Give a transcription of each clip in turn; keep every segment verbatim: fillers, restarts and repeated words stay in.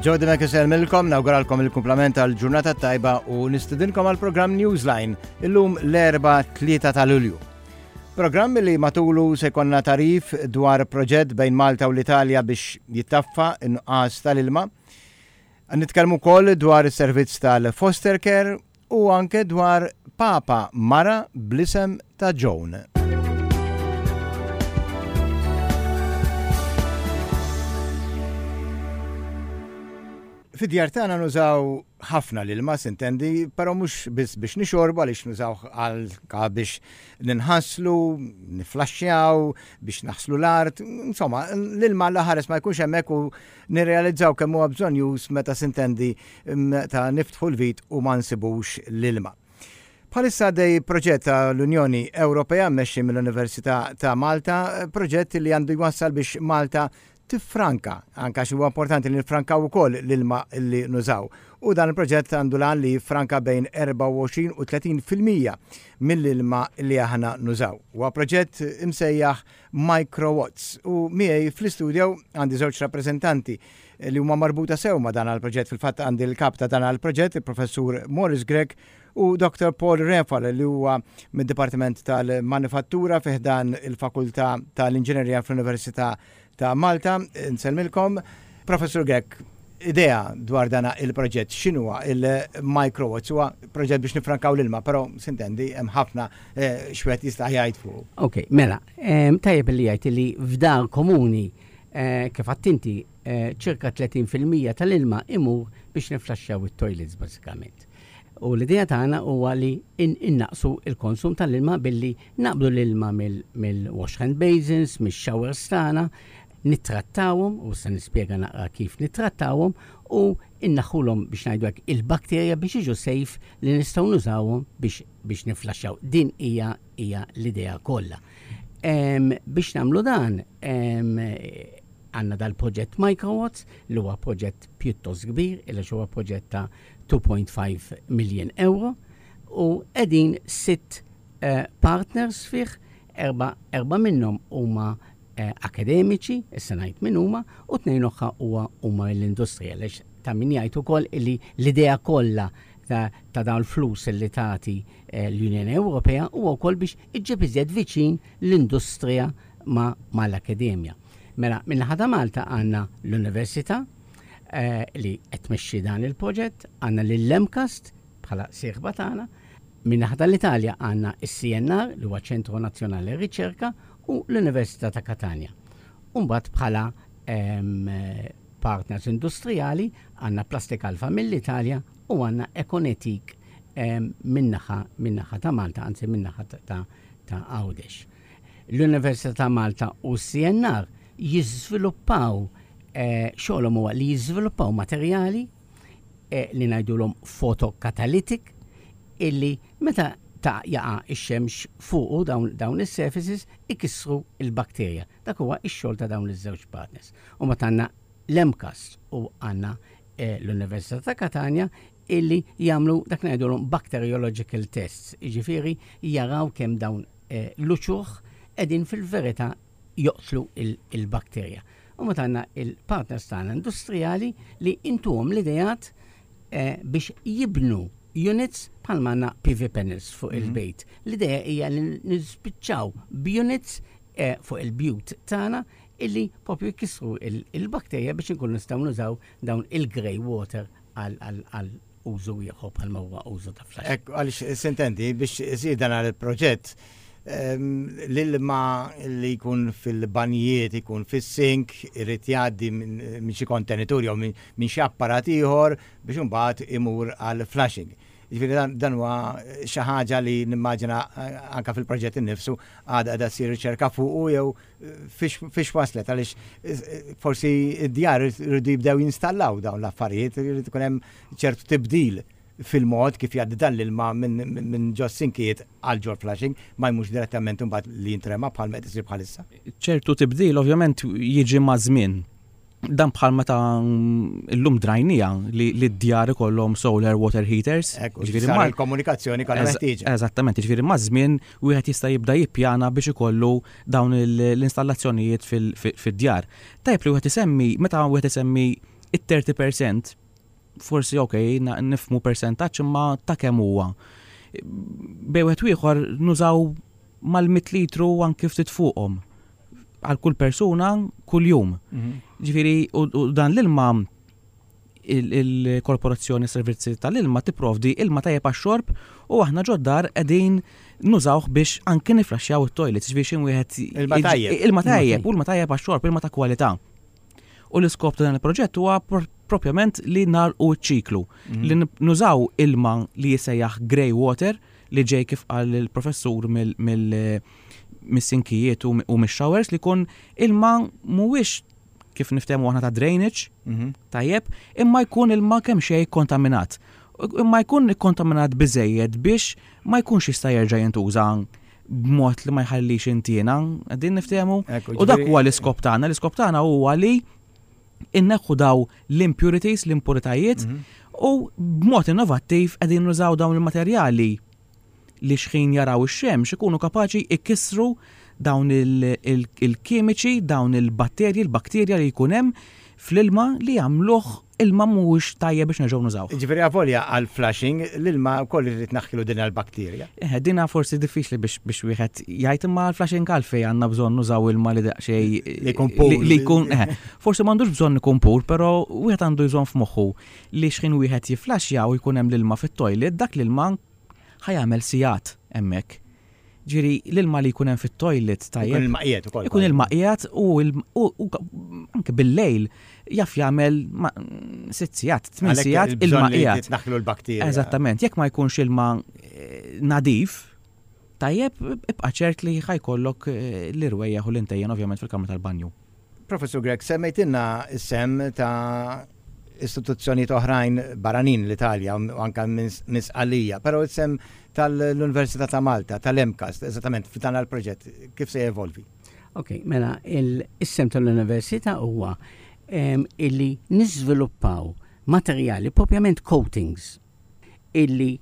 Jody Mekisel milkom, nawguralkom il-kumplament tal-ġurnata tajba u nistidinkom għal-programm Newsline illum l-Erbgħa tlieta ta' Lulju. Programm li matulu se jkollna tagħrif dwar proġett bejn Malta u l-Italja biex jittaffa in-nuqqas tal-ilma. Nitkellmu wkoll dwar is-servizz tal-foster care u anke dwar Papa Mara bl-isem ta' Joan. Fid-djar tagħna nużaw ħafna l-ilma, sintendi, però mhux biss biex nixorbu, għaliex nużaw għal biex ninħaslu, niflaxxjaw, biex naħslu l-art, insomma, l-ilma l-ħares ma jkunx hemmhekk u nirrealizzaw kemm huwa bżonnjuż meta, sintendi, ta' niftħu l-vit u ma nsibux l-ilma. Bħalissa għaddej proġett tal-Unjoni Ewropea mmexxi mill-Università ta' Malta, proġett li għandu jwassal biex Malta tiffranka, anka xi huwa importanti li nifrankaw ukoll l-ilma li nużaw. U dan il-proġett għandu l-għan li franka bejn erbgħa u għoxrin u tletin fil-mija mill-ilma li aħna nużaw. Huwa proġett imsejjaħ Microwatts u miegħi fl-istudio għandi żewġ rappreżentanti li huma marbuta sew ma' dan il-proġett. Fil-fatt għandi l-kap ta' dan il-proġett, il-professur Morris Grech, u Doktor Paul Refal, li huwa mid-Dipartiment tal-Manifattura fi ħdan il-Fakultà tal-Inġinerija fl-Università ta' Malta. Nsellmilkom. Professor Grech, idea dwar dana il-proġett, x'inhuwa il-Microwatts? Huwa proġett biex nifrankaw l-ilma, però sintendi hemm ħafna eh, x'wieħed jista' jgħid fuq. Ok, mela, tajjeb li jgħid li f'dar komuni eh, kif għedt inti eh, ċirka tletin fil-mija tal-ilma imur biex niflaxxjaw it-toilets bażikament. U l-idea tagħna huwa li innaqsu il-konsum tal-ilma billi naqbdu l-ilma mill-wash hand basins, mill-showers tagħna, nittrattawhom, u se nispjega naqra kif nittrattawhom, u inneħħulhom, biex ngħidu hekk, il-bakterja biex jiġu safe li nistgħu nużawhom biex biex niflaxxaw. Din hija hija l-idea kollha. Biex nagħmlu dan, għandna dal-proġett Microwatts, li huwa proġett pjuttost kbir, illa huwa proġett ta' two point five million euro, u qegħdin sitt uh, partners fih, erba, erba minnhom huma eh, akademiċi, issa ngħid min huma, u tnejn oħra huwa huma l-industrija, għaliex ta' min jgħid ukoll illi l-idea kollha ta', ta dawn l-flus li tagħti eh, l-Unjoni Ewropea huwa wkoll biex iġġib iżjed viċin l-industrija ma' mal-akademja. Mela, min-naħa ta' Malta għandna l-Università eh, li qed tmexxi dan il-proġett, għandna lill-MCAST bħala sieħba tagħna, min-naħa tal-Italja għandna is-C N R, li huwa Ċentru Nazzjonali Riċerka, u l-Università ta' Catania. Umbagħad bħala em, partners industrijali għandna Plastic Alfa mill-Italja u għandna Econetic min-naħa min-naħa ta' Malta, anzi min-naħa ta' ta' ta' Għawdex. L-Università ta' Malta u C N R jiżviluppaw eh, xogħolhom huwa li jiżviluppaw materjali eh, li ngħidulhom photocatalytic, illi meta ta' jaqa' ix-xemx fuqu dawn, dawn is-surfaces ikissru il-bakterja. Dak huwa ix-xogħol ta' dawn iż-żewġ partners. U mbagħad għandna l-MCAST u għandna eh, l-Università ta' Catania illi jagħmlu dak ngħidulhom bacteriological tests, jiġifieri jaraw kemm dawn eh, l-uċuħ qegħdin fil-verità joqtlu il-bakterja. U mbagħad għandna il-partners tagħna industrijali li intuhom l-ideat eh, biex jibnu units bħal għandna P V panels fuq mm -hmm. il-bejt. L-idea hija li nispiċċaw b'units eh, fuq il-bjut tagħna illi propju jkissru il-bakterja biex nkunu nistgħu nużaw dawn il-grey water għal użu ieħor bħal huwa użu ta' flash. Ekku, għaliex sintendi biex isir dan il-proġett, l-ilma li jkun fil-banjiet, ikun fis-sink, irid jgħaddi minn xi kontenitur jew minn xi apparat ieħor biex imbagħad imur għal flushing. Ġifieri dan huwa xi ħaġa li nimmaġina anka fil-proġett innifsu għadha qiegħda ssir riċerka fuqu jew fiex waslet, għaliex forsi id-djar irridu jibdew jinstallaw dawn l-affarijiet, irid ikun hemm ċertu tibdil fil-mod kif jgħaddi dan l-ilma minn ġo sinkijiet għal ġol flushing, ma jmux direttament imbagħad li jintrema bħal qed isir bħalissa. Ċertu tibdil ovvjament jiġi ma' żmien. Dan bħal meta llum drajnija li d-djar ikollhom solar water heaters. Ġifieri ma l-komunikazzjoni kollha meħtieġa. Eżattament, ġifieri ma' żmien wieħed jista' jibda jippjana biex ikollu dawn l-installazzjonijiet fid-djar. Tajjeb li wieħed isemmi, meta wieħed isemmi It-thirty percent forsi, ok, nifhmu percentaġġ, imma ta' kemm huwa. Bejn wieħed ieħor nużaw mal-mitt litru, anki ftit fuqhom, għal kull persuna kull jum. Mhm. Ġifieri, u dan l-ilma, il-Korporazzjoni Servizzi tal-Ilma tipprovdi ilma tajjeb għax-xorb u aħna ġod-dar qegħdin nużawh biex anki niflaxxjaw it-toilets, biex wieħed Ilma tajjeb. Ilma tajjeb, u ilma tajjeb għax-xorb, ilma ta' kwalità. U l-iskop ta' dan il-proġett huwa propjament li nagħlqu ċ-ċiklu, mhm. li nużaw ilma li jisejjaħ grey water, li ġej, kif qal il-professur, mill-sinkijiet u mix-showers, li jkun ilma mhuwiex kif niftehmu aħna ta' drainage, mhm. tajjeb, imma jkun ilma kemm xejn kontaminat. Imma jkun kontaminat biżejjed biex ma jkunx jista' jerġa' jintuża b'mod li ma jħallix intiena, qegħdin niftehmu? U dak huwa l-iskop tagħna, l-iskop tagħna huwa li inneħħu daw l-impurities, l-impuritajiet, mhm. u b'mod innovattiv qegħdin nużaw dawn il-materjali li xħin jaraw ix-xemx ikunu kapaċi ikissru dawn il-kimiċi, dawn il-batterji, il-bakterja li jkun hemm fl-ilma li jagħmluh ilma mhuwiex tajjeb biex nerġgħu nużaw. Ġifieri avolja għal flushing l-ilma wkoll irid naħkilu din il-bakterja. Eh, dina forsi diffiċli biex biex wieħed jgħid, imma għal flushing għalfejn għandna bżonn nużaw ilma li daqsxejn li jkun pur. Li jkun, eh, forsi m'għandux bżonn ikun pur, però wieħed għandu jżomm f'moħħu li xħin wieħed jiflaxja u jkun hemm l-ilma fit-toilet, dak l-ilma ħa jagħmel sigħat hemmhekk. Ġifieri l-ilma li jkun hemm fit-toilet tajjeb. Ikun ilma qiegħed ukoll. Ikun ilma qiegħed u anke bil-lejl jaf jagħmel sitt sigħat, tmien sigħat ilma qiegħed. Naħlu l-bakterja. Eżattament, jekk ma jkunx ilma eh, nadif, tajjeb, ibqa' ċert li ħa jkollok eh, l-irwejjaħ u l-intejjen ovvjament fil-kamra tal-banju. Professor Grech, semmejtilna s-sehem ta' istituzzjonijiet oħrajn barranin, l-Italja u anka minn Sqallija, però s-sehem tal-Università ta' Malta, tal-MCAST, eżattament f'dan il-proġett, kif se jevolvi? Ok, mela, is-sehem tal-Università huwa illi niżviluppaw materjali, propjament coatings, illi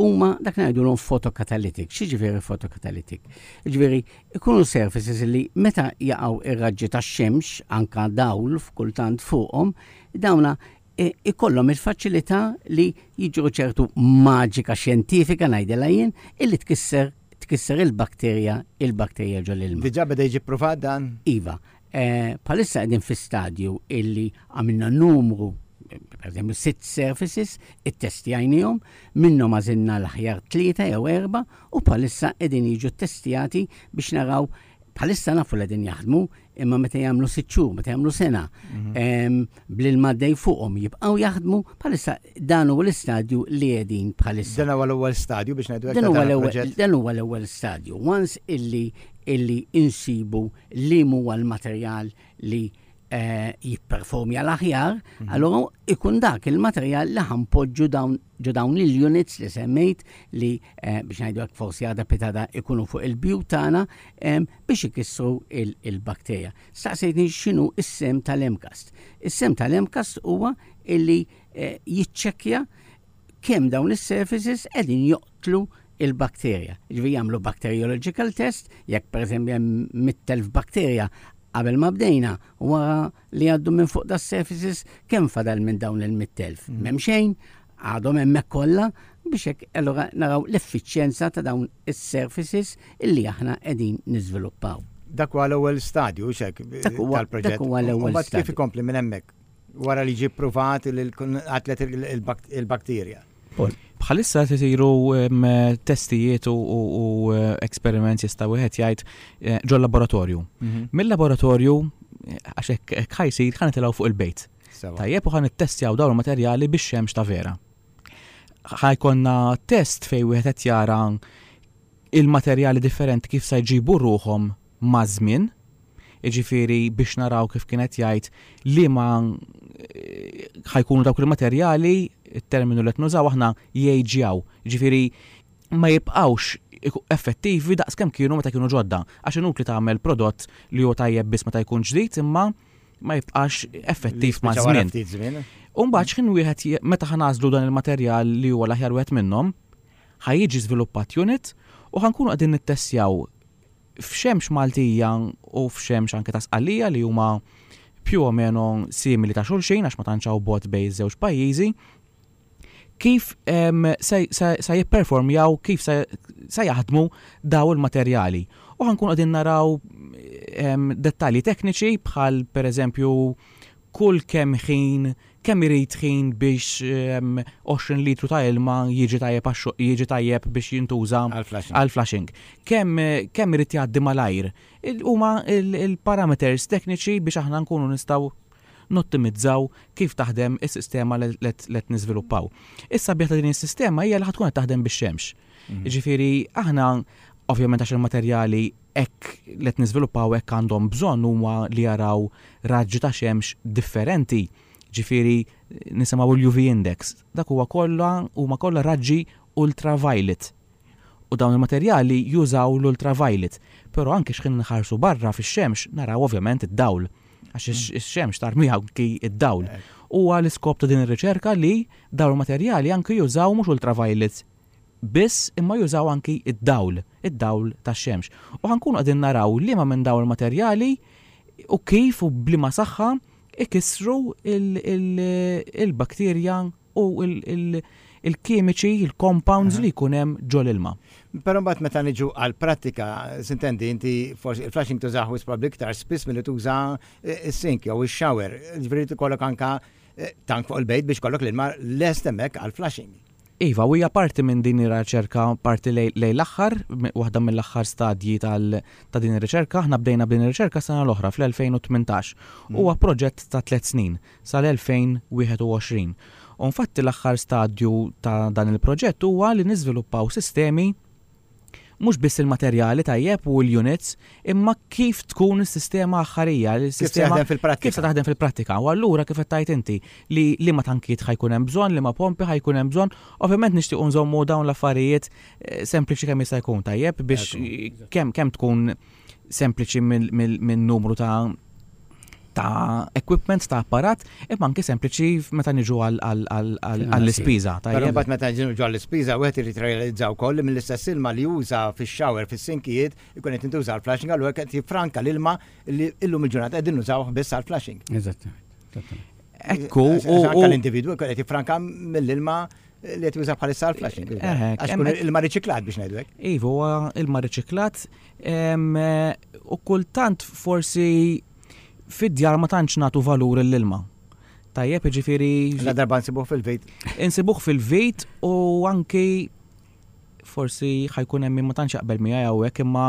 huma dak ngħidulhom photocatalytic. X'jiġifieri photocatalytic? Ġifieri ikunu surfaces li meta jaqgħu ir-raġġi tax-xemx, anka dawl f'kultant fuqhom, dawna e, ikollhom il-faċilità li jiġru ċertu maġika xjentifika, ngħidilha jien, illi tkisser tkisser il-bakterja il-bakterja ġol ilma. Diġà beda jiġi provat dan? Iva. Eh, bħalissa qegħdin fi stadju illi għamilna numru, per eżempju, sitt surfaces, ittestjajnihom, minnhom għażilna l-aħjar tlieta jew erba' u bħalissa qegħdin jiġu testjati biex naraw. Bħalissa nafu li qegħdin jaħdmu, imma meta jagħmlu sitt xhur, meta jagħmlu sena, mhm. bl-ilma dej fuqhom jibqgħu jaħdmu, bħalissa dan huwa l-istadju li qegħdin bħalissa. Dan huwa l-ewwel stadju biex ngħidu. Dan huwa l-ewwel stadju. Once illi illi insibu li huwa l-materjal li eh, jipperformja l-aħjar, mhm. allora ikun dak il-materjal li ħa npoġġu dawn ġo dawn il-units li semmejt li eh, biex ngħidu hekk forsi għada pitgħada ikunu fuq il-bjut tagħna biex ikissru il-bakterja. Staqsejtni x'inhu is-sehem tal-MCAST. Is-sehem tal-MCAST huwa illi eh, jiċċekkja kemm dawn is-surfaces qegħdin joqtlu il-bakterja. Ġifieri jagħmlu bacteriological test, jekk per eżempju hemm mitt elf bakterja qabel ma bdejna, wara li għaddu minn fuq da surfaces, kemm fadal minn dawn il-mitt elf? Mm. M'hemm xejn, għadhom hemmhekk kollha, biex hekk allura naraw l-effiċjenza ta' dawn is-surfaces illi aħna qegħdin niżviluppaw. Dak huwa l-ewwel stadju xek tal-proġett. Dak huwa l-ewwel stadju. Kif ikompli minn hemmhekk? Wara li ġie pruvat li qatlet il-bakterja. Bħalissa isiru testijiet u experiments, jista' wieħed jgħid, eh, ġol laboratorju. Mhm. Mill-laboratorju, għax hekk ħa jsir, ħa nitilgħu fuq il-bejt. Tajjeb, u ħa nittestjaw dawn il-materjali biex xemx ta' vera. Ħa jkollna test fejn wieħed qed jara il-materjali differenti kif se jġibu ruħhom ma' żmien, jiġifieri biex naraw, kif kienet jgħid, li ma eh, ħa jkunu dawk il-materjali, il-terminu li nużaw aħna, jgħiġjaw, ġifieri ma jibqawx effettivi daqs kemm kienu meta kienu ġodda. Għax inutli tagħmel prodott li huwa tajjeb biss meta jkun ġdid imma ma jibqax effettiv ma' żmien. U mbagħad x'ħin wieħed, meta ħa nagħżlu dan il-materjal li huwa l-aħjar wieħed minnhom, ħa jiġi żviluppat unit u ħa nkunu qegħdin nittestjaw f'xemx Maltija u f'xemx anke ta' Sqallija li huma più o meno simili ta' xulxin għax ma tantx hawn bogħod bejn iż-żewġ pajjiżi, kif se, se, se jipperformjaw, kif se, se jaħdmu daw il-materjali. U ħa nkunu qegħdin naraw dettalji tekniċi bħal, per eżempju, kull kemm ħin, kemm irid ħin biex għoxrin litru ta' ilma jiġi tajjeb jiġi tajjeb biex jintuża għal flushing. Kemm kemm irid jgħaddi malajr. Huma il-parameters tekniċi biex aħna nkunu nistgħu nottimizzaw kif taħdem is-sistema li qed niżviluppaw. Issa ta' din is-sistema hija li ħa tkun qed taħdem bix-xemx. Mhm. Ġifieri aħna ovvjament, għax il-materjali hekk li qed niżviluppaw hekk għandhom bżonn huma li jaraw raġġi ta' xemx differenti. Ġifieri nisimgħu l-U V index. Dak huwa kollha huma kollha raġġi ultraviolet. U dawn il-materjali jużaw l-ultraviolet. Però anke x'ħin nħarsu barra fix-xemx naraw ovvjament id-dawl. Għax ix-xemx tarmiha anki id-dawl. Huwa l-iskop ta' din ir-riċerka li dawn il-materjali anki jużaw mhux ultraviolet biss, imma jużaw anki id-dawl, id-dawl tax-xemx. U ħa nkunu qegħdin naraw liema minn dawn il-materjali u kif u b'liema saħħa ikissru il-bakterja u il-kimiċi, il-compounds li jkun hemm ġol-ilma. Però mbagħad meta niġu għal prattika, sintendi, inti forsi il-flushing tużaw probabbli iktar spiss milli tuża is-sink jew ix-shower. Ġifieri ikollok anka eh, tank fuq il-bejt biex kollok l-ilma lest hemmhekk għal flushing. Iva, u hija parti minn din ir-riċerka, parti lejn l-aħħar, waħda mill-aħħar stadji ta' din ir-riċerka. Aħna bdejna b'din ir-riċerka sena l-oħra fl-elfejn u tmintax. Mm. Huwa proġett ta' tliet snin sal-elfejn u wieħed u għoxrin. U infatti l-aħħar stadju ta' dan il-proġett huwa li niżviluppaw sistemi, mhux biss il-materjali tajjeb u l-units, imma kif tkun is-sistema aħħarija, il-sistema fil-prattika. Kif se taħdem fil-prattika. U allura kif qed tgħid inti li li ma tankiet ħa jkun hemm bżonn, li ma pompi ħa jkun hemm bżonn, ovvjament nixtiequ nżommu dawn l-affarijiet eh, sempliċi kemm jista' jkun tajjeb biex kemm kemm tkun sempliċi minn numru ta' ta' equipment, ta' apparat, imma anke sempliċi meta niġu għall-ispiża. Però mbagħad meta niġu għall-ispiża, wieħed irid realizza wkoll li mill-istess ilma li juża fix-shower, fis-sinkijiet, ikun qed intuża għall-flushing, allura qed jiffranka l-ilma li illum il-ġurnata qegħdin nużawh biss għall-flushing. Eżattament. Ekku, u l-individwu qed jiffranka mill-ilma li qed juża bħalissa għall-flushing. Għax kun ilma riċiklat, biex ngħidu hekk. Iva, huwa ilma riċiklat u kultant forsi fid-djar ma tantx nagħtu valur l-ilma. Tajjeb, ġifieri. La darba nsibuh fil-vit. Insibuh fil-vit u anki forsi ħa jkun hemm ma tantx jaqbel miegħi hawnhekk, imma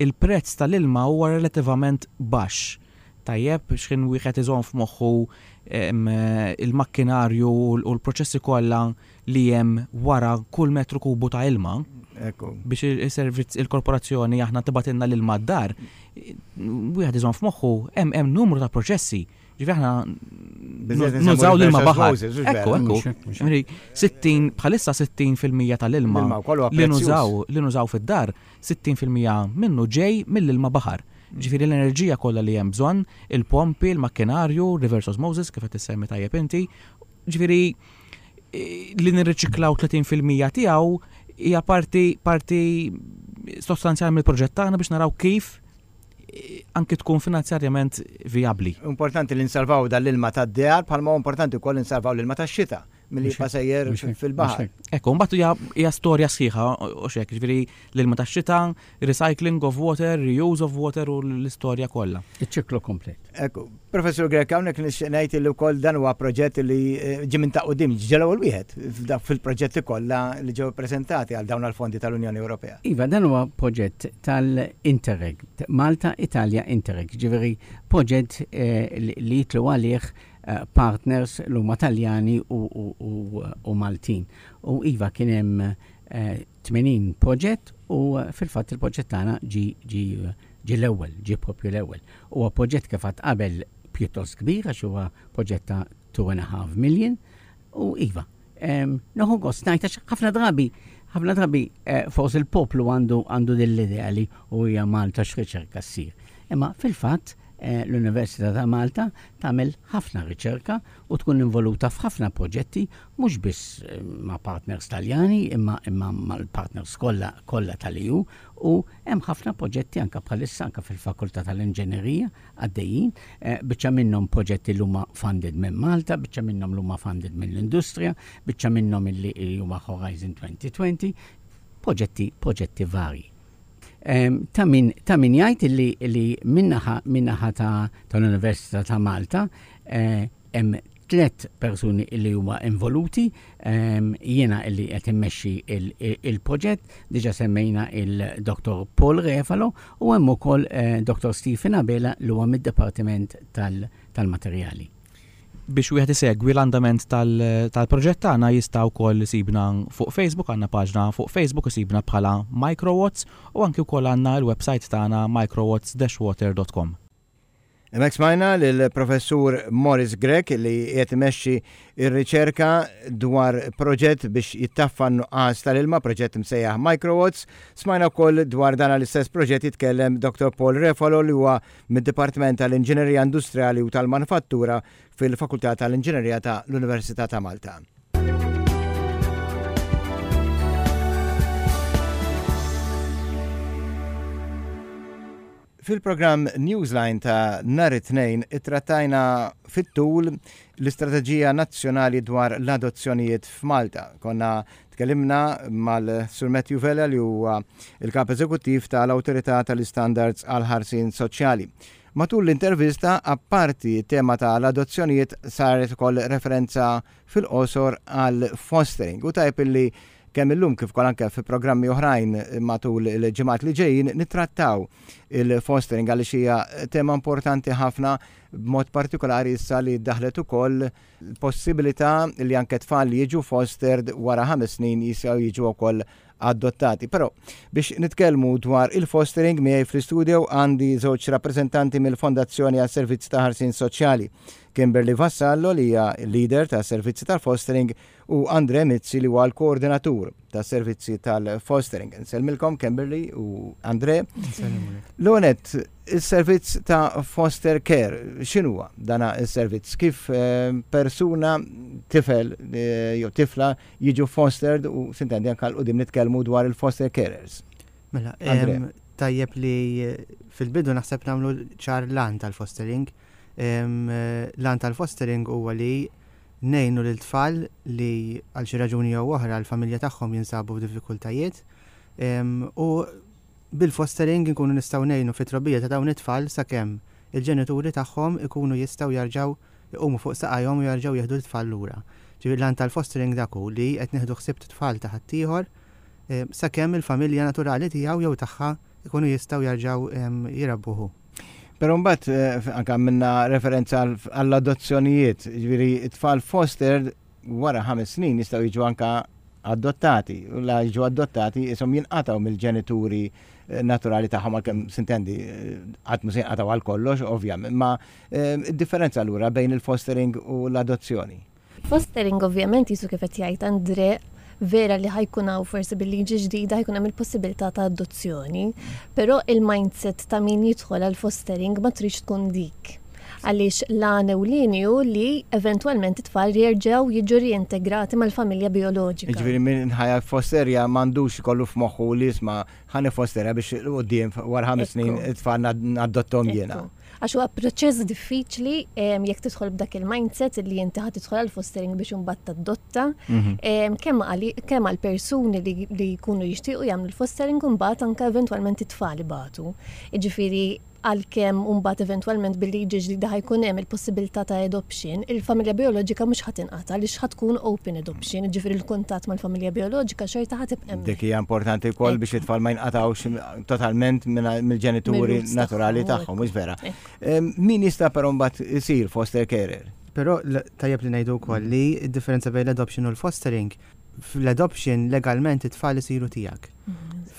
il-prezz tal-ilma huwa relattivament baxx. Tajjeb, x'ħin wieħed iżomm f'moħħu il-makkinarju u l-proċessi kollha li hemm wara kull metru kubu ta' ilma biex il-servizz, il-korporazzjoni aħna tibgħatilna l-ilma d-dar, wieħed iżomm f'moħħu hemm hemm numru ta' proċessi. Ġifieri aħna nużaw l-ilma baħar. Ekku, ekku. sittin, bħalissa sittin fil-mija tal-ilma li nużaw li nużaw fid-dar, sittin fil-mija minnu ġej mill-ilma baħar. Ġifieri l-enerġija kollha li hemm bżonn, il-pompi, il-makkinarju, reverse osmosis, kif qed issemmi tajjeb inti. Ġifieri li nirriċiklaw tletin fil-mija tiegħu hija parti parti sostanzjali mill-proġett tagħna biex naraw kif anki tkun finanzjarjament viabli. Importanti li nsalvaw dal-ilma tad-djar bħalma importanti wkoll nsalvaw l-ilma tax-xita milli jibqa' sejjer fil-baħar. Ekku, mbagħad hija storja sħiħa u xek, ġifieri l-ilma tax-xita, recycling of water, reuse of water u l-istorja kollha. Iċ-ċiklu komplet. Ekku, Professor Grech, hawnhekk nixtieq ngħid li wkoll dan huwa proġett li eh, ġie minn ta' quddiem, ġie l-ewwel wieħed fil-proġetti kollha li ġew preżentati għal dawn għall-fondi tal-Unjoni Ewropea. Iva, dan huwa proġett tal-Interreg, Malta Italia Interreg, ġifieri proġett eh, li jitlu għalih eh, partners l huma Taljani u, u, u, u Maltin. U iva, kien hemm tmenin proġett u fil-fatt il-proġett tagħna ġi ġi ġi l-ewwel, ġi propju l-ewwel. Huwa proġett, kif għedt qabel, pjuttost kbir għax huwa proġett ta' two and a half million u iva. Nieħu gost ngħid għax ħafna drabi ħafna drabi eh, forsi il-poplu għandu għandu din l-idea li u hija Malta x'riċerka ssir. Imma fil-fatt eh, l-Università ta' Malta tagħmel ħafna riċerka u tkun involuta f'ħafna proġetti mhux biss eh, ma' partners Taljani imma imma mal-partners kollha kollha tal-E U u hemm ħafna proġetti anka bħalissa anka fil-Fakultà tal-Inġinerija għaddejjin, eh, biċċa minnhom proġetti li huma funded minn Malta, biċċa minnhom li huma funded mill-industrija, biċċa minnhom li huma Horizon twenty twenty, proġetti proġetti vari. Em, Ta' min, ta' min jgħid li, li min-naħa min-naħa ta' tal-Università ta' Malta eh, hemm tliet persuni li huma involuti, em, jiena illi qed immexxi il-proġett, diġà semmejna il-Dottor Paul Refalo u hemm ukoll eh, Dottor Stephen Abela li huwa mid-Dipartiment tal-Materjali. Biex wieħed isegwi l-andament tal-proġett tagħna jista' wkoll isibna fuq Facebook, għandna paġna fuq Facebook, isibna bħala Microwatts u anki wkoll għandna l-website tagħna microwatts dash water dot com. Hemmhekk smajna l-professur Morris Grech li qed imexxi ir-riċerka dwar proġett biex jittaffa n-nuqqas tal-ilma, proġett msejjaħ Microwatts. Smajna wkoll dwar dan l-istess proġett jitkellem Dottor Paul Refalo li huwa mid-Dipartiment tal-Inġinerija Industriali u tal-Manifattura fil-Fakultà tal-Inġinerija ta' l-Università ta' Malta. Fil-programm Newsline ta' nhar it-Tnejn ittrattajna fit-tul l-Istrateġija Nazzjonali dwar l-adozzjonijiet f'Malta. Konna tkellimna mal-Sur Matthew Vella li huwa il-kap eżekuttiv tal-Awtorità tal-Istandards għal-Ħarsien Soċjali. Matul l-intervista, apparti tema tal-adozzjonijiet, saret ukoll referenza fil-qosor għal fostering u tajb illi kemm illum kif ukoll anke fi programmi oħrajn matul il-ġimgħat li ġejjin nittrattaw il-fostering għaliex hija tema importanti ħafna, b'mod partikolari issa li daħlet ukoll possibilità li anke tfal li jiġu fostered wara ħames snin jistgħu jiġu wkoll adottati. Però biex nitkellmu dwar il-fostering miegħi fl-istudio għandi żewġ rappreżentanti mill-Fondazzjoni għas Servizzi ta' Ħarsien Soċjali. Kimberly Vassallo li hija leader ta' servizzi tal-fostering u Andre Mizzi li huwa l-koordinatur ta' servizzi tal-fostering. Nsellmilkom, Kimberly u Andre. L-onet, il-servizz ta' foster care, x'inhuwa dana il-servizz? Kif eh, persuna, tifel eh, jew tifla jiġu fostered u sintendi anka 'l quddiem nitkellmu dwar il-foster carers? Mela, Andre. em, tajjeb li eh, fil-bidu naħseb nagħmlu ċar l-għan tal-fostering. Em, eh, L-għan tal-fostering huwa li ngħinu lil tfal li għal xi raġuni jew oħra l-familja tagħhom jinsabu f'diffikultajiet. Em, U bil-fostering nkunu nistgħu ngħinu fit-trobbija ta' dawn it-tfal sakemm il-ġenituri tagħhom ikunu jistgħu jarġgħu iqumu fuq saqajhom u jarġgħu jieħdu l-tfal lura. Ġifieri l-għan tal-fostering dak hu li qed nieħdu ħsieb tfal ta' ħaddieħor eh, sakemm il-familja naturali tiegħu jew tagħha ikunu jistgħu jarġgħu em, jirabbuhu. Però mbagħad eh, anke minna referenza għal- għall-adozzjonijiet, ġifieri it-tfal fostered wara ħames snin jistgħu jiġu anka adottati, u la jiġu adottati isom jinqataw mill-ġenituri eh, naturali tagħhom, għalkemm sintendi eh, qatt mhu se jinqataw għal kollox ovvjament, ma eh, id-differenza allura bejn il-fostering u l-adozzjoni. Fostering ovvjament jisu kif qed jgħid Andre, vera li ħa jkun hawn forsi bil-liġi ġdida ħa jkun hemm il-possibilità ta' adozzjoni, però il-mindset ta' min jidħol għal fostering ma tridx tkun dik. Għaliex l-għan ewlieni hu li eventwalment it-tfal jerġgħu jiġu reintegrati mal-familja bioloġika. Ġifieri min ħa jiffosterja m'għandux ikollu f'moħħu li isma' ħa niffosterja biex quddiem wara ħames snin Ekku. it-tfal nadottom jiena. Ekku. Għax huwa proċess diffiċli em, jekk tidħol b'dak il-mindset li inti ħa tidħol għal fostering biex imbagħad tadotta. Mhm. Em, Kemm għali- kemm għal persuni li, li jkunu jixtiequ jagħmlu l-fostering u mbagħad anke eventwalment it-tfal ibatu. Jiġifieri għalkemm mbagħad eventwalment bil-liġi ġdida ħa jkun hemm il-possibilità ta' adoption, il-familja bioloġika mhux ħa tinqata' għaliex ħa tkun open adoption, jiġifieri l-kuntatt mal-familja bioloġika xorta ħa tibqa' hemmhekk. Dik hija importanti wkoll biex it-tfal ma jinqatawx totalment minn- mill-ġenituri Mir-roots naturali tagħhom, tagħhom, mhux vera? Ekku. Em, Min jista' però mbagħad isir foster carer? Però l- tajjeb li ngħidu wkoll li d-differenza bejn l-adoption u l-fostering, fl-adoption legalment it-tfal isiru tiegħek.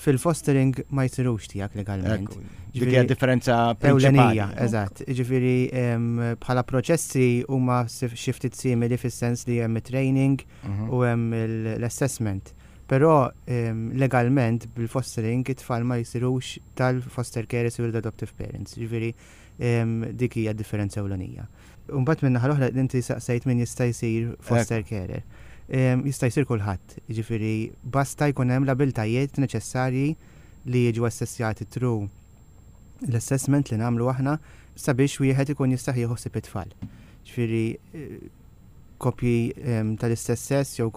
Fil-fostering ma jsirux tiegħek legalment. Ekku, dik hija differenza Ewlenija, prinċipali. Eżatt. Ġifieri em, bħala proċessi huma sif- xi ftit simili fis-sens li hemm training Mhm. u hemm il- l-assessment. Però legalment bil-fostering it-tfal ma jsirux tal-foster care, isiru l-adoptive parents. Ġifieri dik hija differenza ewlenija. Mbagħad minn naħa l-oħra inti saqsejt min jista' jsir foster carer. Jista' jsir kulħadd, ġifieri basta jkun hemm l-abiltajiet neċessarji li jiġu assessjati through l-assessment li nagħmlu aħna sabiex wieħed ikun jista' jieħu ħsieb it-tfal. Ġifieri koppji tal-istess sess jew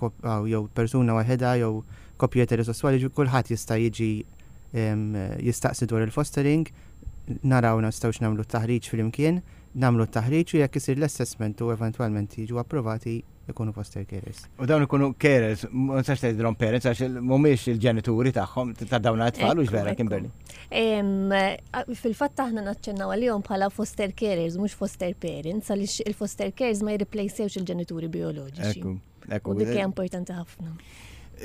jew persuna waħedha jew koppji eterosessuali, kulħadd jista' jiġi jistaqsi dwar il-fostering, naraw nistgħux nagħmlu t-taħriġ flimkien, nagħmlu t-taħriġ u jekk isir l-assessment u eventwalment jiġu approvati, ikunu foster carers. U dawn ikunu carers, ma nistax tgħidilhom parents għax mhumiex il-ġenituri tagħhom ta' dawn it-tfal, u vera, Kimberly? Fil-fatt aħna naċċennaw għalihom bħala foster carers, mhux foster parents, għaliex il-foster carers ma jirreplacewx il-ġenituri bioloġiċi. Ekku. U dik hija importanti ħafna.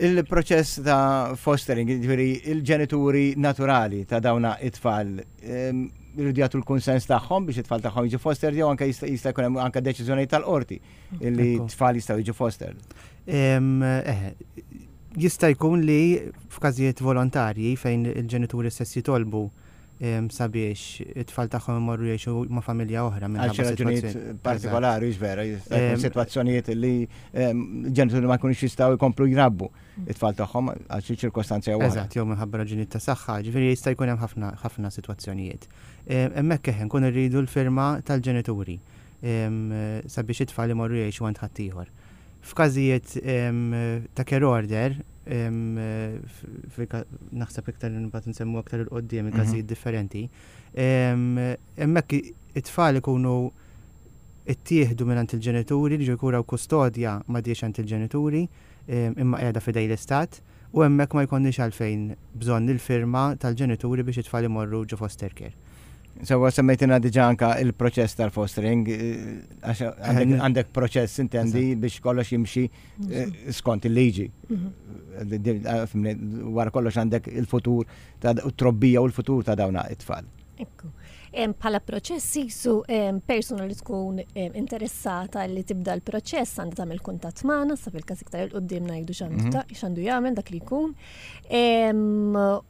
Il-proċess ta' fostering, ġifieri il-ġenituri naturali ta' dawna it-tfal, jridu jagħtu l-kunsens tagħhom biex it-tfal tagħhom jiġu foster, jew anke jista' jkun hemm anke deċiżjoni tal-qorti illi tfal jistgħu jiġu foster? Eh, jista' jkun li f'każijiet volontarji fejn il-ġenituri stess jitolbu sabiex it-tfal tagħhom imorru jgħixu ma' familja oħra. Għal xi raġunijiet partikolari, vera, sitwazzjonijiet li ġenituri ma jkunux jistgħu jkomplu jrabbu it-tfal tagħhom għal xi ċirkostanzi jew Eżatt, jew minħabba raġunijiet ta' saħħa, ġifieri jista' jkun hemm ħafna ħafna sitwazzjonijiet. Hemmhekk eħe nkun irridu l-firma tal-ġenituri sabiex it-tfal imorru jgħixu għand ħaddieħor. F'każijiet ta' care order, naħseb iktar nibgħat nsemmu aktar 'il quddiem il-każijiet mhm. differenti, hemmhekk it-tfal ikunu ittieħdu minn il-ġenituri, li kura u kustodja m'għadhiex għand il-ġenituri, imma qiegħda f'idejn l-istat, u hemmhekk ma jkollniex għalfejn bżonn il-firma tal-ġenituri biex it-tfal imorru ġo foster care. Sewwa, semmejtina diġà anka il-proċess tal-fostering, eh, għax għandek proċess, intendi, biex kollox jimxi eh, skont il-liġi. Mhm. Wara kollox għandek il-futur ta' trobbija u l-futur ta' dawna it-tfal. Ekku. Bħala proċess jisu persuna li tkun interessata li tibda l-proċess għandha tagħmel kuntatt magħna, sa fil-każ iktar 'il quddiem ngħidu x'għandu mhm. x'għandu jagħmel dak li jkun.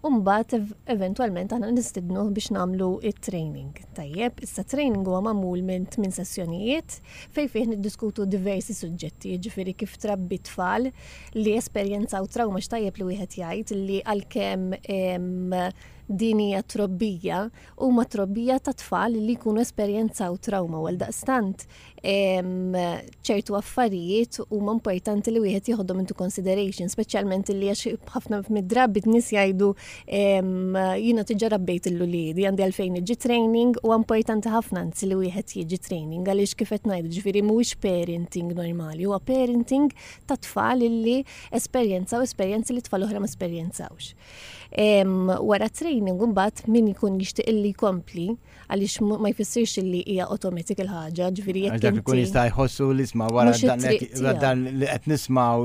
U mbagħad eventwalment aħna nistidnu biex nagħmlu it-training. Tajjeb, issa training huwa magħmul minn tmien sessjonijiet fejn fih niddiskutu diversi suġġetti, jiġifieri kif trabbi tfal li esperjenzaw trauma. X'tajjeb li wieħed jgħid li għalkemm din hija trobbija, huma trobbija ta' tfal li jkunu esperjenzaw trauma, għal daqstant ċertu affarijiet huma importanti li wieħed jieħodhom into consideration, speċjalment li għax ħafna mid-drabi nies jgħidu, "Jiena diġà rabbejt l-uliedi, għandi għalfejn iġi training?" U importanti ħafna anzi li wieħed jiġi training għaliex kif qed ngħidu, ġifieri mhuwiex parenting normali, huwa parenting ta' tfal li esperjenzaw esperjenzi li tfal oħra ma esperjenzawx. Wara training mbagħad min ikun jixtieq illi jkompli, għaliex ma jfissirx li hija automatic il-ħaġa, ġifieri jekk dak ikun jista' jħossu li isma' wara dan li qed nisma'w,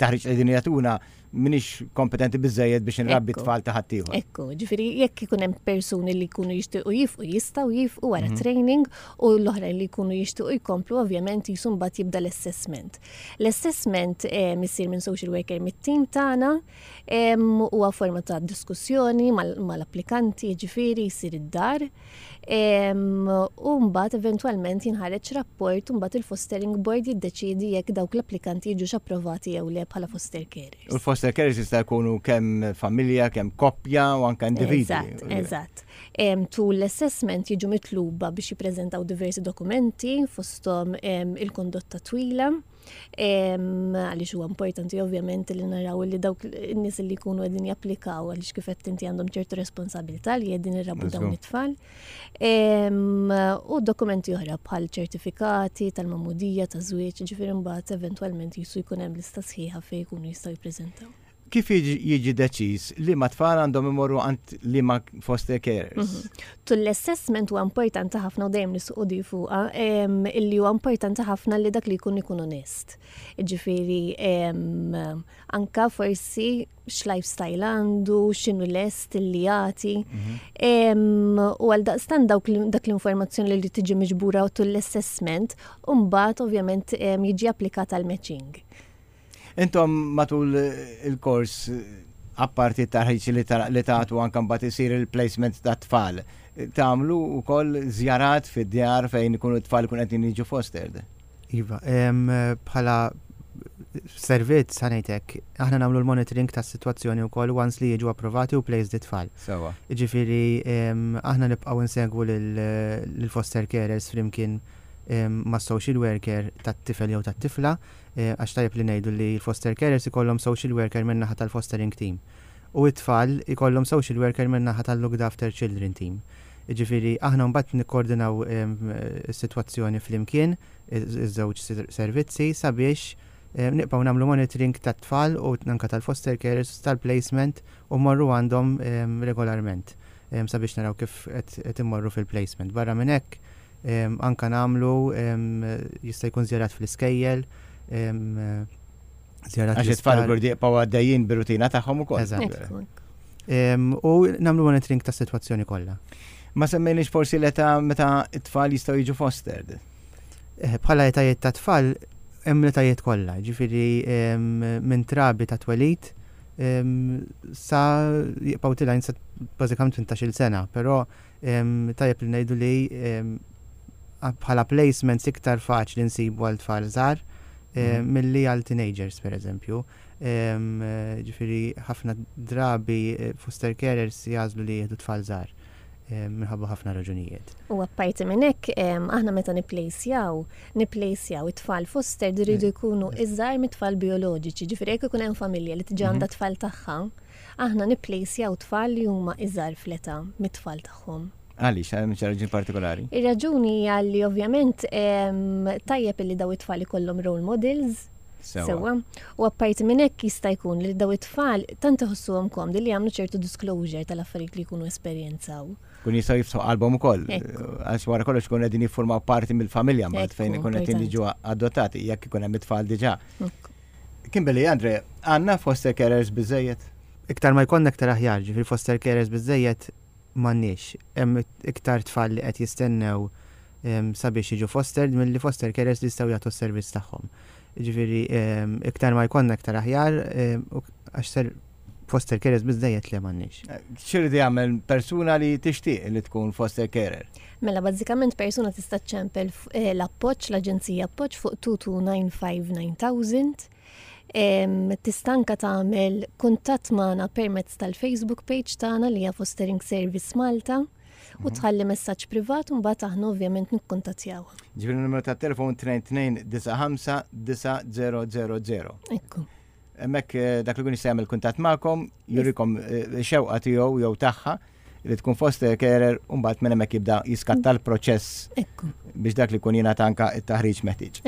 taħriġ li din jagħtuna, m'iniex kompetenti biżejjed biex nrabbi tfal ta' ħaddieħor. Ekku, ġifieri jekk ikun hemm persuni li jkunu jixtiequ jieqfu, jistgħu jieqfu wara mhm. training, u l-oħrajn li jkunu jixtiequ jkomplu, ovvjament jisu mbagħad jibda l-assessment. L-assessment isir minn social worker mit-tim tagħna, huwa forma ta' diskussjoni mal-applikanti, ġifieri jsir id-dar. U mbagħad eventwalment jinħareġ rapport u mbagħad il-fostering board jiddeċiedi jekk dawk l-applikanti jiġux approvati jew le bħala foster carers. U l-foster carers jista' jkunu kemm familja, kemm koppja u anke individwi. Eżatt, eżatt. Tul l-assessment jiġu mitluba biex jippreżentaw diversi dokumenti, fosthom il-kondotta twila, għaliex huwa importanti ovvjament li naraw li dawk in-nies li jkunu qegħdin japplikaw, għaliex kif qed inti għandhom ċertu responsabilità li qegħdin irabbu dawn it-tfal. U dokumenti oħra bħal ċertifikati tal-magħmudija, ta' żwieġ, ġifieri mbagħad eventwalment jisu jkun hemm lista sħiħa fejn jkunu jistgħu jippreżentaw. Kif jiġi deċiż li ma tfal għandhom imorru għand li ma foster carers? Mhm. Tul l-assessment huwa importanti ħafna u dejjem nisħqu di fuqha illi huwa importanti ħafna li dak li jkun ikun onest. Ġifieri anka forsi x'lifestyle għandu, x'inhu lest li jagħti. Mhm. U għal daqstant dak l-informazzjoni li tiġi miġbura tul l-assessment, u mbagħad ovvjament jiġi applikat għal matching. Intom matul il-kors, apparti taħriġ li li tagħtu, anke mbagħad isir il-placement ta' tfal, tagħmlu wkoll żjarat fid-djar fejn ikunu t-tfal ikun qed jiġu fostered. Iva, bħala servizz ħa ngħidlek, aħna nagħmlu l-monitoring tas-sitwazzjoni wkoll once li jiġu approvati u placed it-tfal. Sewa. Ġifieri, aħna nibqgħu nsegwu lill-foster carers flimkien ma' social worker tat-tifel jew tat-tifla, eh, għax tajjeb li ngħidu li l-foster carers ikollhom social worker min-naħa tal-fostering team. U it-tfal ikollhom social worker min-naħa tal-looked after children team. Ġifieri, aħna mbagħad nikkoordinaw is-sitwazzjoni flimkien, iż-żewġ servizzi, sabiex nibqgħu nagħmlu monitoring tat-tfal u anka tal-foster carers tal-placement u mmorru għandhom regolarment sabiex naraw kif qed immorru fil-placement. Barra minn hekk, anka nagħmlu jista' jkun żjarat fl-iskejjel, żjarat. Għax it-tfal jkunu jibqgħu għaddejjin bir-rutina tagħhom ukoll. Eżatt. U nagħmlu monitoring tas-sitwazzjoni kollha. Ma semmejniex forsi l-età meta it-tfal jistgħu jiġu fostered. Eh, bħala etajiet ta' tfal hemm l-etajiet kollha, ġifieri minn trabi ta' twelid sa jibqgħu tilgħin sa bażikament tmintax-il sena, però tajjeb li ngħidu li bħala placements iktar faċli nsibu għal tfal żgħar mhm. milli għal teenagers pereżempju. Ġifieri ħafna drabi eh, foster carers jagħżlu li jieħdu tfal żgħar minħabba ħafna raġunijiet. U apparti minn hekk, aħna meta nipplejsjaw, nipplejsjaw it-tfal foster iridu jkunu iżgħar mit-tfal bioloġiċi, ġifieri jekk ikun hemm familja li diġà għandha mhm. tfal tagħha, aħna nipplejsjaw tfal li huma iżgħar fl-età mit-tfal tagħhom. Għaliex, hemm xi raġuni partikolari? Ir-raġuni hija li ovvjament tajjeb li daw it-tfal ikollhom role models. Sewa. U apparti minn hekk jista' jkun li daw it-tfal tant iħossuhom komdi li jagħmlu ċertu disclosure tal-affarijiet li jkunu esperjenzaw. Kun jistgħu jiftħu qalbhom ukoll. Għax wara kollox ikun qegħdin jiffurmaw parti mill-familja mbagħad fejn ikun qegħdin jiġu adottati jekk ikun hemm it-tfal diġà. Kimberly, Andre, għandna foster carers biżejjed? Iktar ma jkollna iktar aħjar, ġifieri foster carers biżejjed m'għandniex. Hemm iktar tfal li qed jistennew sabiex jiġu fostered milli foster carers li jistgħu jagħtu s-servizz tagħhom. Ġifieri iktar ma jkollna iktar aħjar, għax ser foster carers biżejjed li m'għandniex. X'irid jagħmel persuna li tixtieq li tkun foster carer? Mela bażikament persuna tista' ċċempel eh, l-appoġġ, l-Aġenzija Appoġġ fuq tnejn tnejn disgħa ħamsa tmien elf. Tista' anka tagħmel kuntatt magħna permezz tal-Facebook page tagħna li hija Fostering Service Malta u mhm. tħalli messaġġ privat u mbagħad aħna ovvjament nikkuntattjaw. Ġifieri numru tat-telefon tnejn tnejn disgħa ħamsa disgħa żero żero żero. Ekku. Hemmhekk eh, dak li kun jista' jagħmel kuntatt magħkom, jurikom eh, xewqa tiegħu jew tagħha li tkun foster carer u mbagħad minn hemmhekk jibda jiskatta l-proċess biex dak li kun jingħata anka it-taħriġ meħtieġ.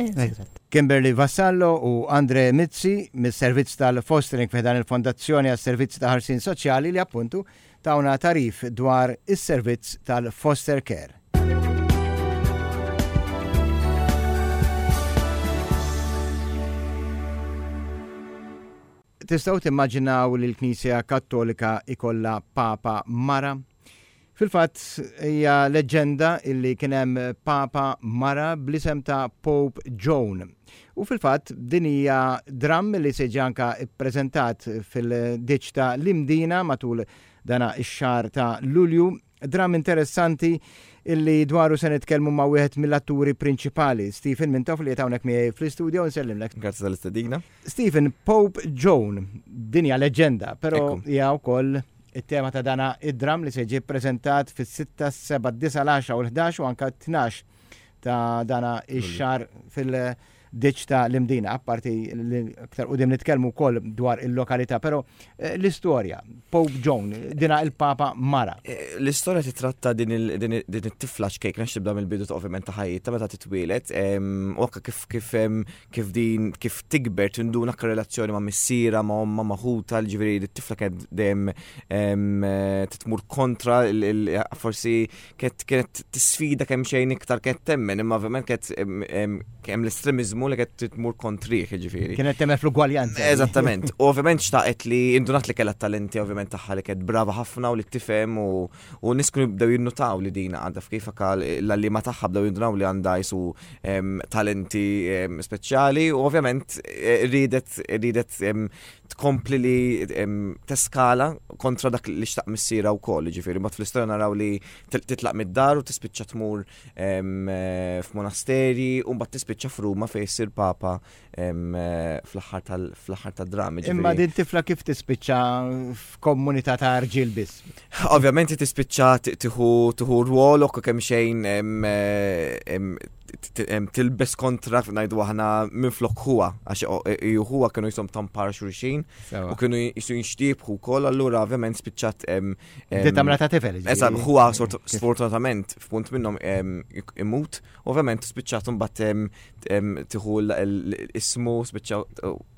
Kimberly Vassallo u Andre Mizzi mis-servizz tal-fostering fi dan il-Fondazzjoni għas-Servizzi ta' Ħarsien Soċjali li appuntu tawna tagħrif dwar is-servizz tal-foster care. Tistgħu timmaġinaw li l-Knisja Kattolika ikolla Papa Mara? Fil-fatt hija leġenda illi kien hemm Papa Mara bl-isem ta' Pope Joan. U fil-fatt din hija dramm li se anka ippreżentat fil-ditch ta' l-Imdina matul dana ix-xahar ta' Lulju. Dramm interessanti illi dwaru se nitkellmu ma' wieħed mill-atturi prinċipali, Stephen Mintoff, li hawnhekk miegħi fl-istudio, nsellimlek. Grazzi tal-istedina. Stephen, Pope Joan, din hija leġenda, però hija wkoll it-tema ta' dana id-dram li se jiġi ppreżentat fis-sitta, seba', disgħa, l-għaxra u l-ħdax u anka tnax ta' dana ix-xahar fil-ditch ta' l-Imdina, apparti li aktar quddiem nitkellmu wkoll dwar il-lokalità, però eh, l-istorja, Pope Joan, dina il-Papa Mara. Eh, L-istorja titratta din il- din il- din it-tifla ċkejkna, x'tibda mill-bidu ta' ovvjament ta' ħajjitha meta titwielet, em, u anke kif kif em, kif din kif tikber tinduna anke relazzjoni ma' missiera, ma' omma, ma' ħuta, ġifieri it-tifla kienet dejjem em, eh, titmur kontra il- il- forsi kienet kienet tisfida kemm xejn iktar kienet temmen, imma ovvjament kienet em, em, hemm l-estremizmu l-estremiżmu li qed tmur kontrih, ġifieri. Kienet temmen fl-ugwaljanza. Eżattament. U ovvjament xtaqet li indunat li kellha talenti ovvjament tagħha, li kienet brava ħafna u li tifhem, u u nies kienu bdew jinnutaw li dina għandha kif anka l-għalliema tagħha bdew jindunaw li għandha jisu em, talenti em, speċjali u ovvjament eh, ridet ridet em, tkompli li em, teskala kontra dak li xtaq missierha wkoll, ġifieri mbagħad fl-istorja naraw li til- titlaq mid-dar u tispiċċa tmur em, eh, f'monasteri u mbagħad tispiċċa f'Ruma fejn issir papa em, eh, fl-aħħar tal- fl-aħħar tad-drammi. Imma ġifieri. din tifla kif tispiċċa f'komunità ta' rġiel biss? Ovvjament tispiċċa t- tieħu tieħu rwol u kemm xejn em, eh, em, t- t- em, tilbes kontra, ngħidu aħna, minn flok huwa, għax o- e- huwa kienu jisom tampar xulxin Sewa. u kienu jisu jinxtiebħu wkoll, allura ovvjament spiċċat em, em, Di tagħmilha ta' tifel. Ġifieri. Eżatt, huwa sort- sfortunatament f'punt minnhom em, imut, ovvjament spiċċat imbagħad em, em, tieħu l- l- ismu, spiċċa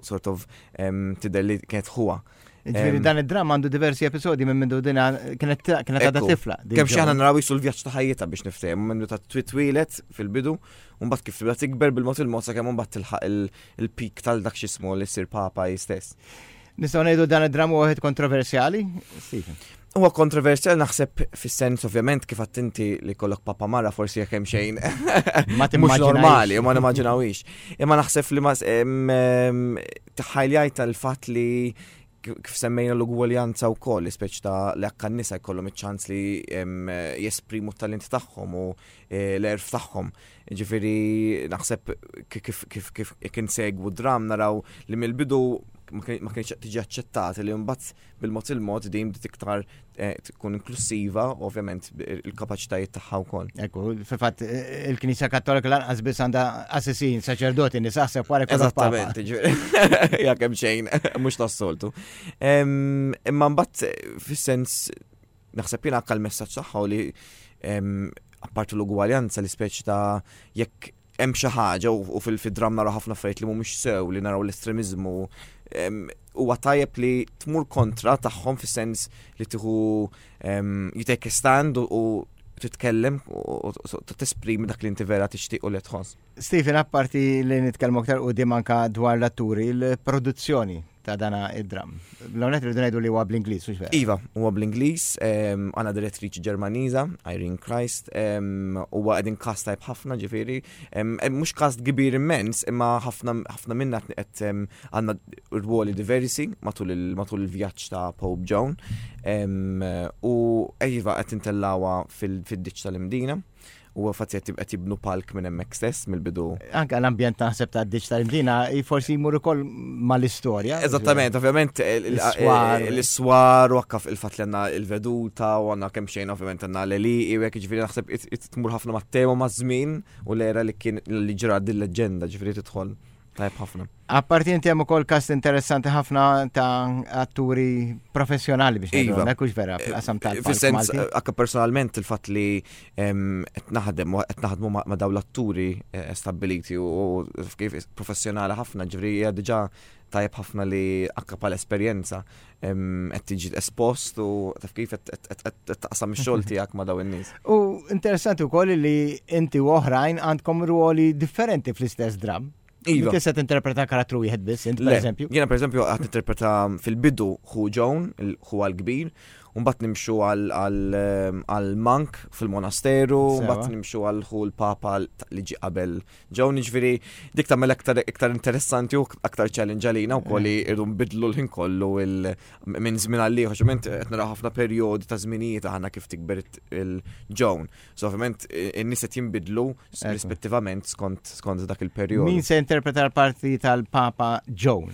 sort of em, tidher li kienet huwa. Ġifieri em, dan id-drama għandu diversi episodi minn mindu dina kienet kienet għadha Ekku. tifla. Din Kemm xi aħna Joan. naraw jisu l-vjaġġ ta' ħajjitha biex niftehmu minn ta' twitwilet fil-bidu, u mbagħad kif tibda tikber bil-mod il-mod sakemm mbagħad tilħaq il- il-peak tal dak x'ismu li ssir papa hi stess. Nistgħu ngħidu dan id-drama huwa wieħed kontroversjali? Stephen. Huwa kontroversjali naħseb fis-sens ovvjament kif inti li kollok papa mara forsi jekk hemm xejn Ma mhux timmaġinajx. normali, ma nimmaġinawix. Imma naħseb li ma em, em, tħajljajt tal-fatt li kif semmejna l-ugwaljanza wkoll, speċi ta' li akka n-nisa jkollhom iċ-ċans li em, jesprimu t-talenti tagħhom u eh, l-għerf tagħhom. Ġifieri naħseb kif kif kif kif insegwu dram naraw li mill-bidu ma kien- ma kienx tiġi aċċettata, li mbagħad bil-mod il-mod din bdiet iktar eh, tkun inklusiva, ovvjament il-kapaċitajiet tagħha wkoll. Ekku, fil-fatt il-Knisja Kattolika lanqas biss għandha assissin, saċerdoti, nisa, aħseb wara jkollok papa. Eżattament, ġifieri, ja kemm xejn, mhux tas-soltu. Em, Imma mbagħad fis-sens naħseb jiena anke l-messaġġ tagħha u li em, apparti l-ugwaljanza li speċi ta' jekk hemm xi ħaġa u u fil-dram naraw ħafna affarijiet li mhumiex sew, li naraw l-estremiżmu, em, huwa tajjeb li tmur kontra tagħhom fis-sens li tieħu em, you take a stand u- u titkellem u u- u tesprimi dak li inti vera tixtieq u li tħoss. Stephen, apparti li nitkellmu aktar u anka dwar l-atturi, il-produzzjoni ta' dana id-dram. L-għonet rridu ngħidu li huwa bl-Ingliż, mhux vera? Iva, huwa bl-Ingliż, em, għandna direttriċi Ġermaniża, Irene Christ, em, huwa qegħdin cast tajb ħafna ġifieri, em, em, mhux cast kbir immens, imma ħafna ħafna minna qed em, għandna rwoli diversi matul il- matul il-vjaġġ ta' Pope Joan. Em, U iva qed intellawha fil-ditch tal-Imdina. U fatti qed qed jibnu palk minn hemmhekk stess mill-bidu. Anka l-ambjent naħseb ta' ditch tal-Imdina forsi jmur ukoll mal-istorja. Eżattament, ovvjament L-iswar. l-iswar u anka il-fatt li għandna il-veduta u għandna kemm xejn ovvjament għandna l-għelieqi u hekk, ġifieri naħseb it- it tmur ħafna mat-tema, ma' żmien u l-era li kien li ġra din leġenda, ġifieri tidħol tajb ħafna. Apparti inti hemm ukoll cast interessanti ħafna ta' atturi professjonali biex ngħidu Iva. hekk, hux vera, fil-qasam tal Fis-sens Malti. anka personalment il-fatt li em, qed naħdem u qed naħdmu ma' ma' dawn l-atturi eh, stabiliti u u kif professjonali ħafna, ġifieri hija diġà tajjeb ħafna li anka bħala esperjenza em, qed tiġi espost u taf kif qed- qed qed- qed taqsam ix-xogħol tiegħek ma' dawn in-nies. U interessanti wkoll li inti u oħrajn għandkom ruoli differenti fl-istess dram. Iva. Tista' tinterpreta karattru wieħed biss, int per Le, eżempju. Jiena per eżempju qed interpreta fil-bidu ħu Joan, ħu għal-kbir, u mbagħad nimxu għal- għal għal monk fil-monasteru, Sewa. mbagħad nimxu għal ħu l-papa li ġi qabel Joan, ġifieri dik tagħmel aktar iktar interessanti u aktar challenge għalina wkoll li irdu nbidlu l-ħin kollu il- minn żmien għal ieħor, ovvjament qed naraw ħafna perjodi ta' żminijiet aħna kif tikber il-Joan. So ovvjament in-nies qed jinbidlu Ekku. rispettivament skont skont dak il-perjodu. Min se interpreta l-parti tal-Papa Joan?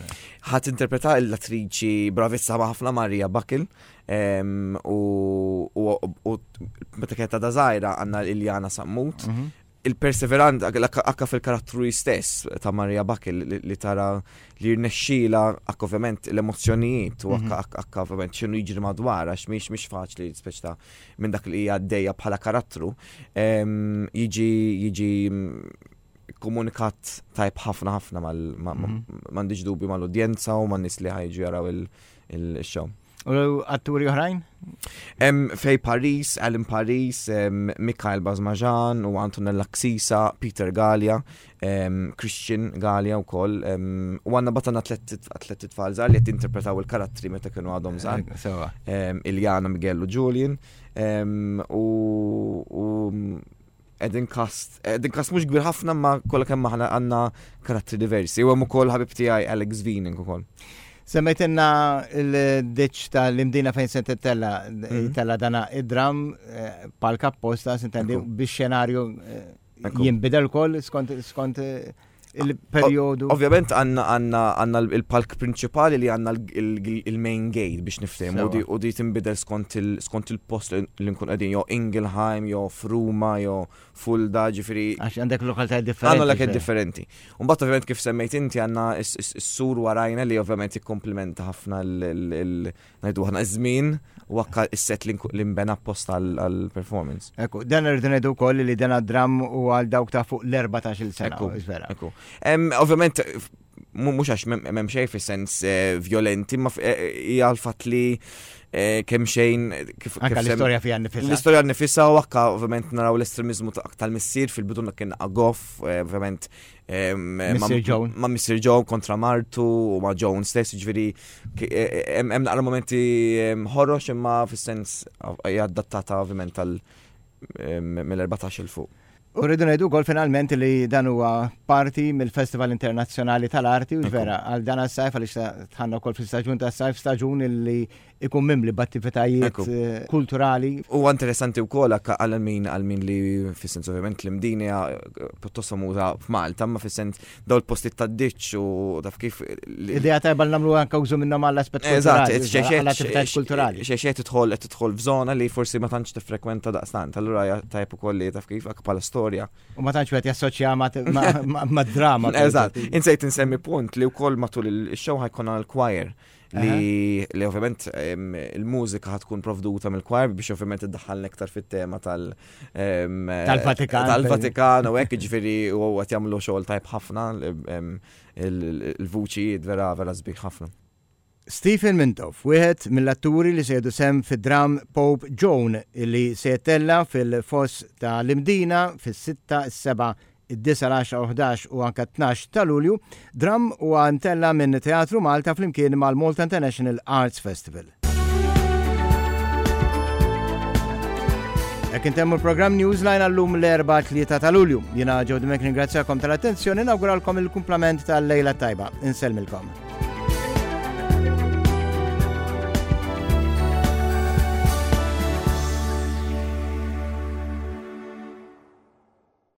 Ħa tinterpreta l-attriċi bravissima ħafna Maria Bakil em, u, u, u meta kienet għadha żgħira għandna Iljana Sammut. Mhm. Il-perseverant akka fil-karattru stess ta' Maria Bakil li, li tara li rnexxila akka ovvjament l-emozzjonijiet u akka, akka, akka ovvjament x'inhu jiġri madwar, għax mhix mhix faċli speċi ta' minn dak li hija għaddejja bħala karattru em, jiġi jiġi mm, komunikat tajb ħafna ħafna mal ma- ma- Mhm. m'għandix dubju mal-udjenza u man-nies li ħa jiġu jaraw il-show. U atturi oħrajn? Hemm Fej Paris, Alan Paris, em, Mikael Bazmajan u Antonella Ksisa, Peter Gallia, em, Christian Gallia u koll. U għandna batana tlet tfal żgħar li qed interpretaw il-karattri meta kienu għadhom żgħar. Sewa. Em, Iljana, Miguel u Julian. Em, U u qegħdin cast, qegħdin cast mhux kbir ħafna ma kollha kemm aħna għandna karattri diversi. U hemm ukoll ħabib tiegħi Alex Viening ukoll. Semmejtilna il-ditch tal-Imdina fejn se tella Mhm. tella dana id-dram eh, palka apposta, sintendi, Ekku. biex xenarju eh, Ekku. jinbidel kol skont skont eh, il-periodu. Ovvjament għandna għandna għandna il-palk prinċipali li għandna il-main gate biex niftehmu u di- u di tinbidel skont il- skont il-post li nkun qegħdin jew Ingelheim, jew Fruma, jew Fulda, ġifieri Għax għandek lokalità differenti. Għandna l differenti. Mbagħad ovvjament kif semmejt inti għandna s-sur warajna li ovvjament jikkomplimenta ħafna ngħidu aħna iż-żmien u anke is-set li nku- li nbena apposta għall-performance. Ekku, dan irridu ngħidu wkoll li dan dram u għal dawk ta' fuq l-erbatax-il sena. Ekku. Vera. Ekku. Em, Ovvjament, mu- mhux għax m'hemm xejn fis-sens eh, violenti, ma f- eh, hija l-fatt li eh, kemm xejn kif Anka kif sem- l-istorja fija nifisha. L-istorja nifisha u anka ovvjament naraw l-estremizmu ta- tal-missier fil-bidu kien goff, eh, ovvjament em, ma- Missier Joan. Ma' Missier Joan kontra martu u ma' Joan stess, ġifieri ki- eh, eh, hemm hemm naqra momenti em, ħorox imma fis-sens hija adattata ovvjament tal em, mill-erbatax il fuq. U rridu ngħidu wkoll finalment li dan huwa parti mill-Festival Internazzjonali tal-Arti u Ekku. vera għal dan għas-sajf għaliex dħalna wkoll fil-staġun tas-sajf, staġun li ikun mimli b'attivitajiet Ekku. eh, kulturali. U interessanti wkoll anke għal min għal min li fis-sens ovvjament l-Imdina hija pjuttost famuża f'Malta, ma fis-sens daw il-postijiet tad-ditch u taf kif li- Idea tajba li nagħmlu anke użu minnhom għall-aspett Eżatt, kulturali, għall-attivitajiet kulturali. Xeċet tidħol qed tidħol f'żona li forsi ma tantx tiffrekwenta daqstant. Allura hija tajjeb ukoll li taf kif anke bħala storja. U ma tantx wieħed jassoċja ma- ma- ma- ma' drama. Eżatt. Insejt insemmi punt li wkoll matul il-show ħa jkun għal choir li li ovvjament em, il-mużika ħa tkun provduta mill-choir biex ovvjament iddaħħalna iktar fit-tema tal em, Tal-Vatikan. Tal-Vatikan u hekk ġifieri u qed jagħmlu xogħol tajb ħafna em, il- il-vuċijiet vera vera sbieħ ħafna. Stephen Mintoff, wieħed mill-atturi li se jieħdu sehem fid-dram Pope Joan li se jittella fil-foss ta' l-Imdina fis-sitta, is-seba', id-disgħa, l-għaxra, ħdax u anka tnax ta' Lulju, dram u mtella minn Teatru Malta flimkien mal-Malta International Arts Festival. Hekk intemmu l-programm Newsline għallum l-Erbgħa tlieta ta' Lulju. Jiena Joe Dimech ningrazzjakom tal-attenzjoni, nawguralkom il-kumplament tal-lejla tajba. Insellmilkom.